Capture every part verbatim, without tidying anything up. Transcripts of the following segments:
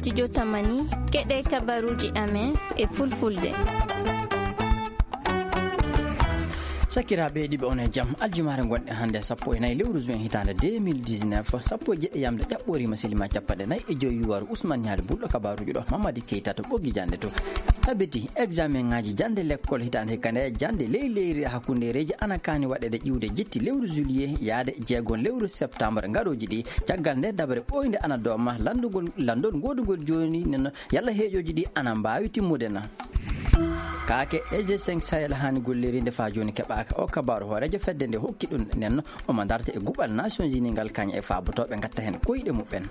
Studio Tamani, keɗe kabaruuji amen e fulfulde. Sakiraaɓe heɗiiɓe, on e jam. Aljumaare ngonɗe hannde, sappo e nayi lewru juin hitaande deux mille dix-neuf, sappo e jeɗɗi yamde ƴaɓɓooriima, selima capanɗe nayi e joyi yuwaaru. Usman Ñaali Bulɗo, kabaruuji ɗo Mamadi Keita to ɓoggi jannde to. Tabiti, examen ŋaaji jannde lekkol hitaande hikka nde, jannde ley leyri e hakkundeereeji ana kaani waɗeede ƴiwde jetti lewru juillet yaade jeegon lewru septembre ngarooji ɗi. Caggal nde dabre ɓooynde ana dooma lanndugol, lanndol ngoodugol jooni nen, yalla heeƴooji ɗi ana mbaawi timmude na? Kaake E G cinq Sahel haani gollirinde faa jooni keɓaaka. O kabaaru hooreejo fedde nde hokki ɗum nen, omo darta e guɓal Nations Unies ngal kañe e faabotooɓe ngatta heen koyɗe muɓɓen.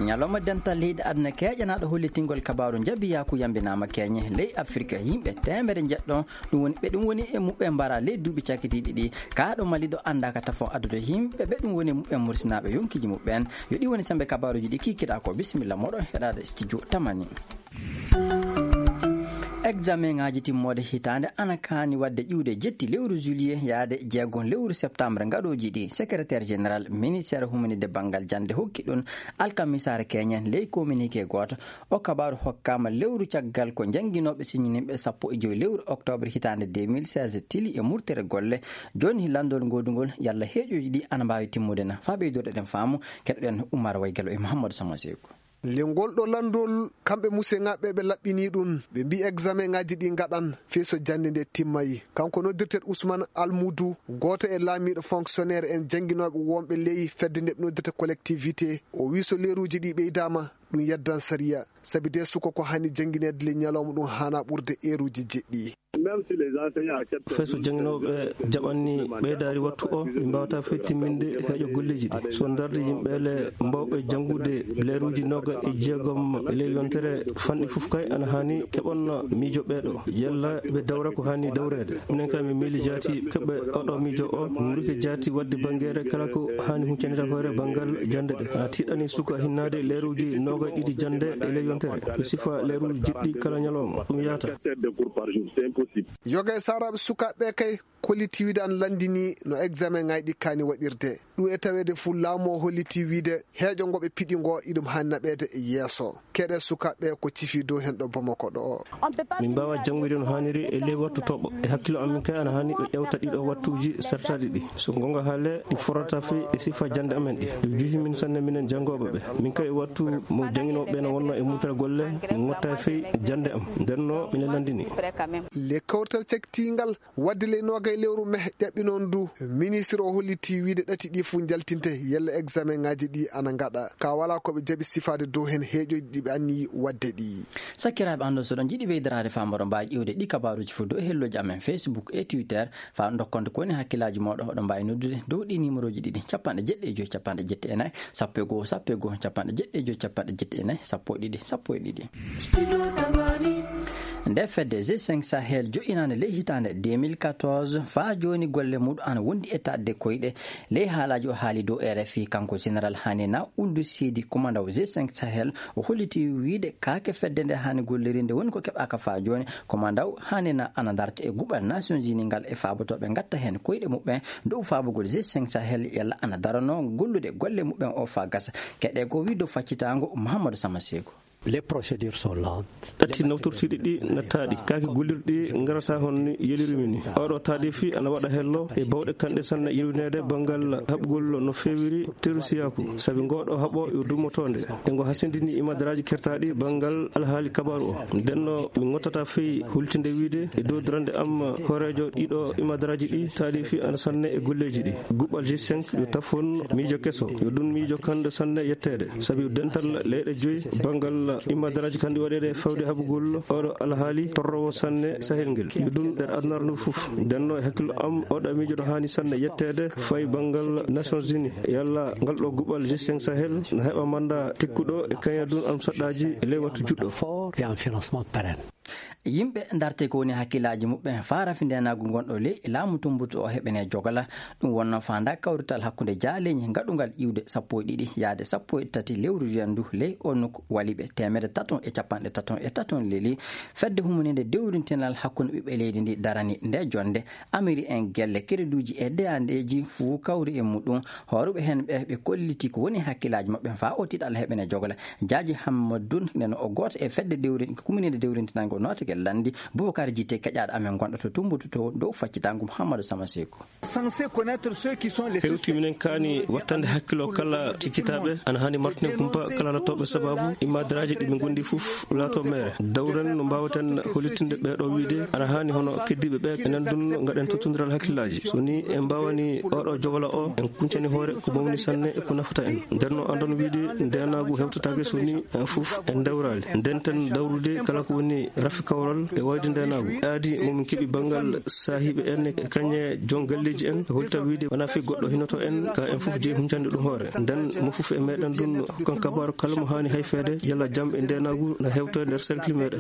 Ñalawma dental leyɗe aduna keeƴanaaɗo hollitingol kabaaru njabiyaaku yambinaama keeñe ley Afirka. Yimɓe teemere njeɗɗo, ɗum woni ɓe ɗum woni e muɓɓen mbara ley duuɓi cakkitiiɗi ɗi. Kaaɗo Mali ɗo anndaaka tafon addude yimɓe ɓe ɗum woni e muɓɓen mursinaaɓe yonkiiji muɓɓen. Yo ɗi woni sembe kabaaruuji ɗi kiikiɗaa ko. Bisimilla moɗon heɗaade studio Tamani. Examen ŋaaji timmoode hitaande ana kaani waɗde ƴiwde jetti lewru juillet yaade jeegon lewru septembre ngarooji ɗi. Secrétaire général ministère humanide banngal jannde hokki ɗum alkamisaare keeñen ley communiqué gooto. O kabaaru hokkaama lewru caggal ko jannginooɓe siñininɓe sappo e joyi lewru octobre hitaande deux mille seize tili e murtere golle. Jooni lanndol ngoodugol yalla heeƴooji ɗi ana mbaawi timmude na? Faa ɓeydude ɗen faamu, keɗoɗen Umar Waygalo e Mouhamadou Sama Seeku. Le ngol ɗo lanndol, kamɓe museŋaaɓe ɓe laɓɓinii ɗum, ɓe mbii examen ŋaaji ɗi ngaɗan fii so jannde nde timmayi. Kanko noddirteeɗo Ousmane Almoudou, gooto e laamiiɗo fonctionnaire en jannginooɓe wonɓe ley fedde nde ɓe noddirta collectivité, o wii so leeruuji ɗi ɓeydaama, ɗum yeddan sariya. Sabi de suka ko haani janngineede le ñalawma ɗum haanaa ɓurde eeruuji jeɗɗi. Fay so jannginooɓe jaɓanni ɓeydaari wattu o, ɓe mbaawata fey timminde heeƴo golleeji ɗi. So darde yimɓe le mbawɓe janngude leeruuji nooga e jeegom e ley yontere fanɗi fof kay ana haani keɓon miijo ɓeeɗo. Yalla ɓe dawra ko haani dawreede. Minen kay min miili jaati keɓɓe oɗo miijo o, min rike jaati waɗde banngeere kala ko haani huccanita hoore banngal jannde ɗe. Ana tiiɗani suka hinnaade leeruuji nooga e ɗiɗi jannde e ley yontere. Ɓe sifa leeruuji jeɗɗi kala ñalawma. Ɗum yaata. Yoga e saaraaɓe sukaaɓe kay, kolliti wiide ana lanndini no examen ŋaaji ɗi kaani waɗirde. Ɗum e taweede fof laamu o holliti wiide heeƴo ngo ɓe piɗi ngo iɗum haani naɓeede e yeeso. Keɗe sukaaɓe ko cifi dow heen ɗo Bamako ɗo. Min mbaawa janngude no haaniri e ley wattu toɓo. E hakkillo amin kay ana haani ɓe ƴewta ɗiɗo wattuuji sertaaɗi ɗi. So goonga haalee, ɗi forata fey e sifa jannde amen ɗi. Ɗum juhi min sanne minen janngooɓe ɓe. Min kay e wattu mo jannginooɓe ɓe no wonno e murtere golle, min ngotta fey jannde am. Nden no minen lanndini. Le kawrital caktiingal waɗde ley noogay lewru meh ƴaɓɓi noon du, ministre o holliti wiide ɗati ɗi fof njaltinte yalla examen ŋaaji ɗi ana ngaɗa. Ka wala ko ɓe jaɓi sifaade dow heen heeƴooji ɗi ɓe anniyi waɗde ɗi. Sakkiraaɓe, anndo so ɗon jiɗi ɓeydaraade faamoro mbaawi ƴiwde ɗi kabaaruuji fof dow e helloji amen Facebook e Twitter. Faa ndokkonde ko woni hakkillaaji mooɗon, oɗon mbaawi noddude dow ɗi numéroji ɗiɗi, capanɗe jeɗɗi e joy, capanɗe jeɗɗi e nayi, sappo e goo, sappo e goo, capanɗe jeɗɗi e joy, capanɗe jeɗɗi e nayi, sappo e ɗiɗi, sappo e ɗiɗi. Nde fedde G cinq Sahel joƴƴinaande ley hitaande deux mille quatorze, faa jooni golle muɗum ana wondi e taƴde koyɗe. Ley haalaaji o haali dow R F I, kanko Général Hanena Ould Sidi, kumandaw G cinq Sahel, o holliti wiide kaake fedde nde haani gollirinde woni ko keɓaaka faa jooni. Kumandaw Hanena ana darta e guɓal Nations Unies ngal e faabotooɓe ngatta heen koyɗe muɓɓen dow faabugol G cinq Sahel yalla ana darano gollude golle muɓɓen o faa gasa. Keɗe ko wii dow faccitaango Mouhamadou Sama Seeku. Les procédures sont lentes. Ɗatti nawtortiiɗi ɗi nattaaɗi, kaake gollirɗi ngarata hon ni yelirumi ni. Oɗo taadifi ana waɗa hello e bawɗe kanɗe sanne yewneede banngal haɓgol no feewiri terusiyaaku, sabi ngoɗo haɓo yo dummotoonde. E ngo hasindini imadaraaji kertaaɗi banngal alhaali kabaaru o. Ndenno mi ngottata fey hultinde wiide e dow darande am hooreejo ɗiɗo imadaraaji ɗi taadifi ana sanne e golleeji ɗi. Guɓal G cinq yo tafon miijo keso, yo ɗum miijo kanɗo sanne yetteede, sabi dental leyɗe joyi banngal imadaraaji kanɗi waɗeede fawde haɓugol oɗo alhaali torrowo sanne Sahel ngel. Yo ɗum nder adunaaru ndu fof. Ndenno e hakkillo am, oɗo miijo no haani sanne yetteede fay banngal Nations Unies. Yalla ngal ɗo guɓal G cinq Sahel na heɓa manda tekkuɗo e kañadun am saɗɗaaji e ley wattu juɗɗo. Fort et en financement pérenne. Yimɓe ndarte ko woni hakkillaaji muɓɓen faa rafi ndeenaagu ngonɗo ley laamu Tumbutu o heɓene jogala. Ɗum wonno faanda kawrital hakkunde jaaleeñi ngaɗungal iwde sappo e ɗiɗi yaade sappo e tati lewru juin ndu ley o nokku waliɓe teemedde taton e capanɗe taton e taton leli. Fedde humuninde dewrintinal hakkunde ɓiɓɓe leydi ndi darani nde jonde. Amiri en gelle kereduuji e deyandeeji fuu kawri e muɗum. Hooruɓe heen ɓe, ɓe kolliti ko woni hakkillaaji maɓɓe faa o tiiɗal heɓene jogola. Jaaji Hammadun neno o gooto e fedde dewrin-, humuninde dewrintinal ngo nootake lanndi. Bubakar Jite keƴaaɗo amen gonɗo to Tumbutu to dow faccitaango Muhammadu Sama Seeku. Hewti minen kaani wattande hakkilo kala cikkitaaɓe, ana haani martinen kumpa kala lattooɓe sababu immadaraaji ɗi ɓe ngondi fof laato meere. Dawren no mbaawaten hollitinde ɓee ɗo wiide ana haani hono keddiiɓe ɓe, enen dun ngaɗen tottondiral hakkillaaji. So ni en mbaawani oɗo jogala o, en kuncani hoore ko mawni sanne e ko nafata en. Nden no andon wiide ndeenaagu hewtataake so ni en fof en dawraali. Ndenten dawrude kala ko woni rafi kawral e wayde ndeenaagu. Aadi mo min keɓi banngal saahiiɓe en e kañe jon galleeji en, holta wiide wonaa fii goɗɗo hinoto en, ka en fof jeyi huncande ɗum hoore. Nden mo fof e meɗen ɗum hokkan kabaaru kala mo haani hayfeede, yalla jam e ndeenaagu na hewta e nder cercle meɗen.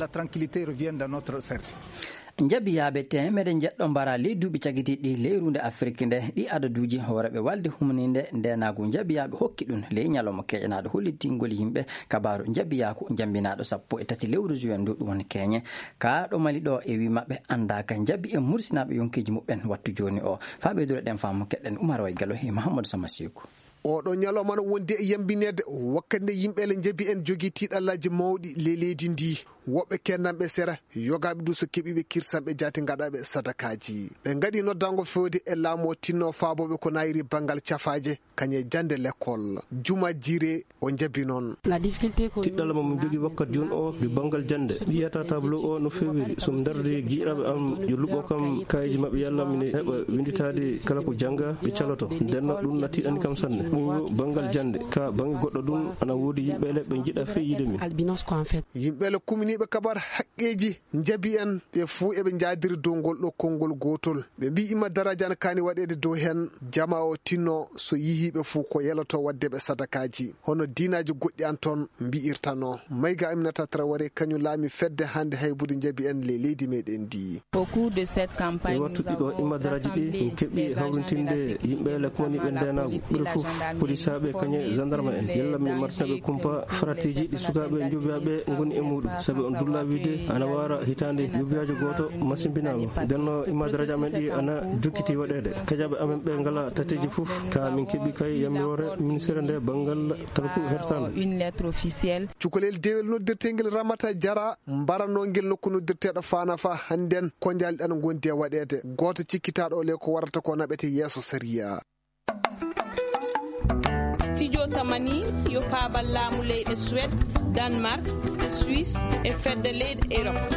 Njabiyaaɓe teemedde njeɗɗo mbara ley duuɓi cagitiiɗi ley ruunde Afrik nde, ɗi adaduuji hooreeɓe walde humninde ndeenaagu njabiyaaɓe hokki ɗum ley ñalawma keƴanaaɗo hollitingol yimɓe kabaaru njabiyaaku njambinaaɗo sappo e tati lewru juin ndu ɗum woni keñe. Ka ɗo Mali ɗo e wi maɓɓe anndaaka njabi e mursinaaɓe yonkeeji muɓɓen wattu jooni o. Faa ɓeyduɗo ɗen faamu keɗen Umar Way Galo e Mahamadou Sama Seeku. Oɗo ñalawma no wondi e yambineede wakkati nde yimɓe le njabi en jogii tiiɗallaaji mawɗi ley leydi ndi. Woɓɓe kennanɓe sera, yogaaɓe du so keɓiiɓe kirsanɓe jaati ngaɗaɓe sadakaaji. Ɓe ngaɗi noddango fewde e laamu o tinno faabooɓe ko nayiri banngal cafaaje, kañe jannde lekkol. Juma Jire o njabi noon. Tiɗɗal mo min jogii wakkat jooni o, ɗi banngal jannde. Ɓiyata tableau o no fewiri. So mi dardi giɗaɓe am, yo luɓo kam kaayeji maɓɓe yalla mine heɓa winditaade kala ko jannga ɓe caloto. Nden no ɗum na tiɗani kam sanne. Ɓuuru banngal jannde. Ka bannge goɗɗo ɗum, ana woodi yimɓe le ɓe njiɗa fey yiide min. Yimɓe le kuminiiɓe kabar haqqeeji njabi en, ɓe fuu eɓe njaadiri dow ngol ɗo konngol gootol. Ɓe mbii ima daraja ana kaani waɗeede dow heen, jama o tinno so yihii ɓe fuu ko yeloto waɗde ɓe sadakaaji. Hono diinaaji goɗɗi an toon mbi'irtano. Mayga Aminata Traoré kañum laami fedde hannde haybude njabi en le leydi meɗen ndi. E wattu ɗiɗo immadaraaji ɗi, min keɓi hawrintinde yimɓe le kumaniiɓe ndeenaagu. Ɓuri fof, polisaaɓe kañe gendarme en. Yalla min martinaɓe kumpa faratiiji ɗi sukaaɓe njobiyaaɓe ngoni e muuɗum. Sabi on dulla wiide ana waara hitaande njobiyaajo gooto masimbinaama. Nden no immadaraaji amen ɗi ana jokkiti waɗeede. Kajaaɓe amen ɓe ngala tateeji fof, ka min keɓi kay yamiroore ministere nde banngal talku hertaandu. Cukalel dewel noddirteengel Ramata Jara mbaranoo ngel nokku noddirteeɗo Faana fa hannden ko njalɗi ana ngondi e waɗeede. Gooto cikkitaaɗo le ko warata ko naɓete yeeso sariya. Studio Tamani yo paabal laamu leyɗe Suède, Danemark, Suisse e fedde leyɗe Europe.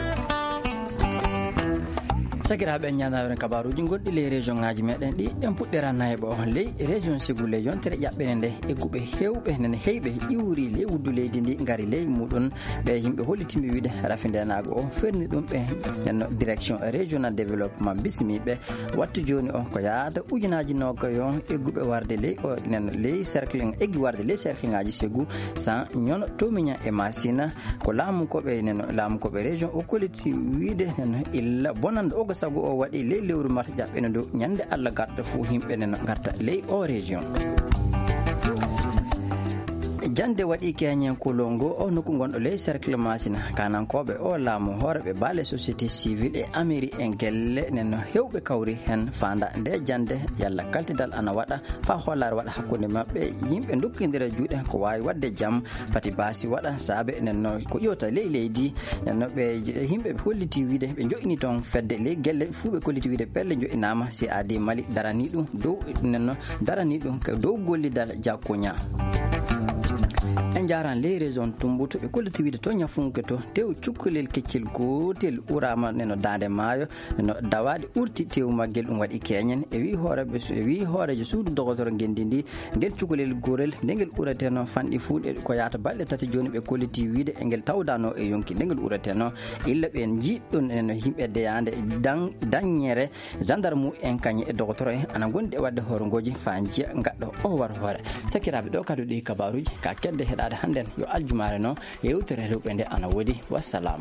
Sakiraaɓe, en ñaanaa on kabaaruuji gonɗi ley région ŋaaji meɗen ɗi. En puɗɗira nayɓo ley région Ségou ley yontere ƴaɓɓene nde, egguɓe heewɓe nene heyɓe iwri ley wuddu leydi ndi ngari ley muɗum. Ɓe yimɓe hollitimɓe wiide rafi ndeenaagu o ferni ɗum ɓe nenno direction régional développement bismiɓe. Wattu jooni o ko yaata ujunaaji nogayo egguɓe warde ley o nenno ley cercle, eggi warde ley cercle ŋaaji Ségou, San, Ñono, Tomiña e Masina. Ko laamu ko ɓe neno, laamu ko ɓe région o kolliti wiide neno illa bonande oga sago o waɗi ley lewru mars ƴaɓɓene ndu, ñande Allah garta fof yimɓe neno garta ley o région. Jannde waɗi keñen kolongo o nokku gonɗo ley cercle Masina. Kanankooɓe o laamu hooreɓe baale société civile e amiri en gelle neno hewɓe kawri heen faanda nde jannde yalla kaltidal ana waɗa faa hoolaare waɗa hakkunde maɓɓe, yimɓe ndokkindira juuɗe ko waawi waɗde jam, pati baasi waɗa saabe nenno ko ƴoota ley leydi. Nenno ɓe yimɓe ɓe holliti wiide ɓe joƴini toon fedde ley gelle fuu ɓe kolliti wiide pelle joƴinaama, C A D Mali darani ɗum dow nenno darani ɗum ko dow gollidal jakkuña. En njaaraan ley région Tumbutu ɓe kolliti wiide to Ñafunke to tew cukkolel keccel gootel uraama nenno daande maayo. No dawaade urti tewu maggel ɗum waɗi keñen. E wii hooreeɓe su-, e wii hooreejo suudu dogotoro ngenndi ndi, ngel cukalel gorel, nde ngel ɓureteno fanɗi fuu ɗe ko yaata balɗe tati jooni ɓe kolliti wiide e ngel tawdano e yonki nde ngel ɓureteno. Illa ɓe njiɗɗon en yimɓe deyaande dan-, daññere, gendarme en kañe e dogotoro en ana ngondi e waɗde horngooji faa njiya ngaɗɗo o war hoore. Sakiraaɓe, ɗo kadu ɗi kabaaruuji ka kedde heɗaade hannden yo aljumaare no. Yewtere rewɓe nde ana woodi. Wassalam.